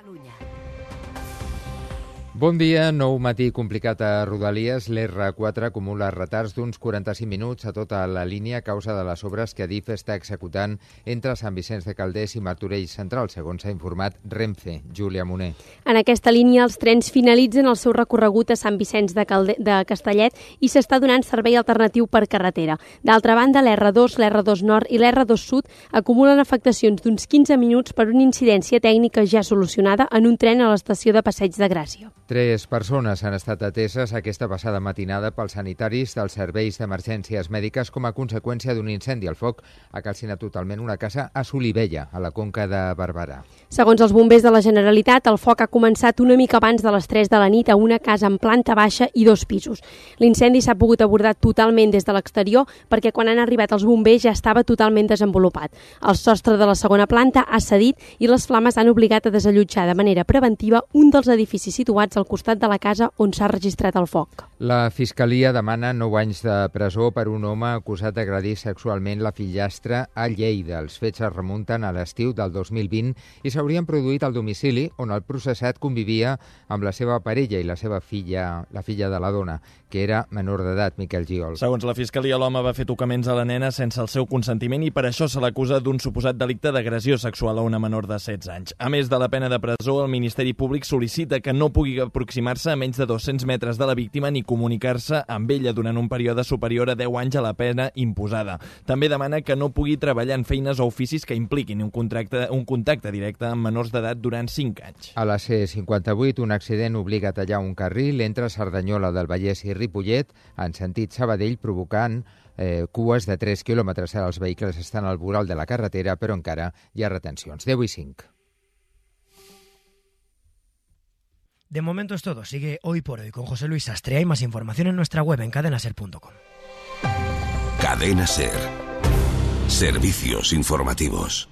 Catalunya. Bon dia. Nou matí complicat a Rodalies. L'R4 acumula retards d'uns 45 minuts a tota la línia a causa de les obres que Adif està executant entre Sant Vicenç de Calders i Martorell Central, segons s'ha informat Renfe. Júlia Moner. En aquesta línia, els trens finalitzen el seu recorregut a Sant Vicenç de Castellet i s'està donant servei alternatiu per carretera. D'altra banda, l'R2, l'R2 Nord i l'R2 Sud acumulen afectacions d'uns 15 minuts per una incidència tècnica ja solucionada en un tren a l'estació de Passeig de Gràcia. 3 persones han estat ateses aquesta passada matinada pels sanitaris dels serveis d'emergències mèdiques com a conseqüència d'un incendi. El foc ha calcinat totalment una casa a Solivella, a la Conca de Barberà. Segons els bombers de la Generalitat, el foc ha començat una mica abans de les 3 de la nit a una casa en planta baixa i 2 pisos. L'incendi s'ha pogut abordar totalment des de l'exterior perquè quan han arribat els bombers ja estava totalment desenvolupat. El sostre de la segona planta ha cedit i les flames han obligat a desallotjar de manera preventiva un dels edificis situats al costat de la casa on s'ha registrat el foc. La Fiscalia demana 9 anys de presó per un home acusat d'agredir sexualment la fillastra a Lleida. Els fets es remunten a l'estiu del 2020 i s'haurien produït al domicili on el processat convivia amb la seva parella i la seva filla, la filla de la dona, que era menor d'edat, Miquel Giol. Segons la Fiscalia, l'home va fer tocaments a la nena sense el seu consentiment i per això se l'acusa d'un suposat delicte d'agressió sexual a una menor de 16 anys. A més de la pena de presó, el Ministeri Públic sol·licita que no pugui aproximar-se a menys de 200 metres de la víctima ni comunicar-se amb ella durant un període superior a 10 anys a la pena imposada. També demana que no pugui treballar en feines o oficis que impliquin un contacte directe amb menors d'edat durant 5 anys. A la C58, un accident obliga a tallar un carril entre Cerdanyola del Vallès i Ripollet en sentit Sabadell, provocant cues de 3 quilòmetres. Els vehicles estan al voral de la carretera, però encara hi ha retencions. 10:05. De momento es todo. Sigue Hoy por Hoy con José Luis Sastre. Hay más información en nuestra web en cadenaser.com. Cadena Ser. Servicios informativos.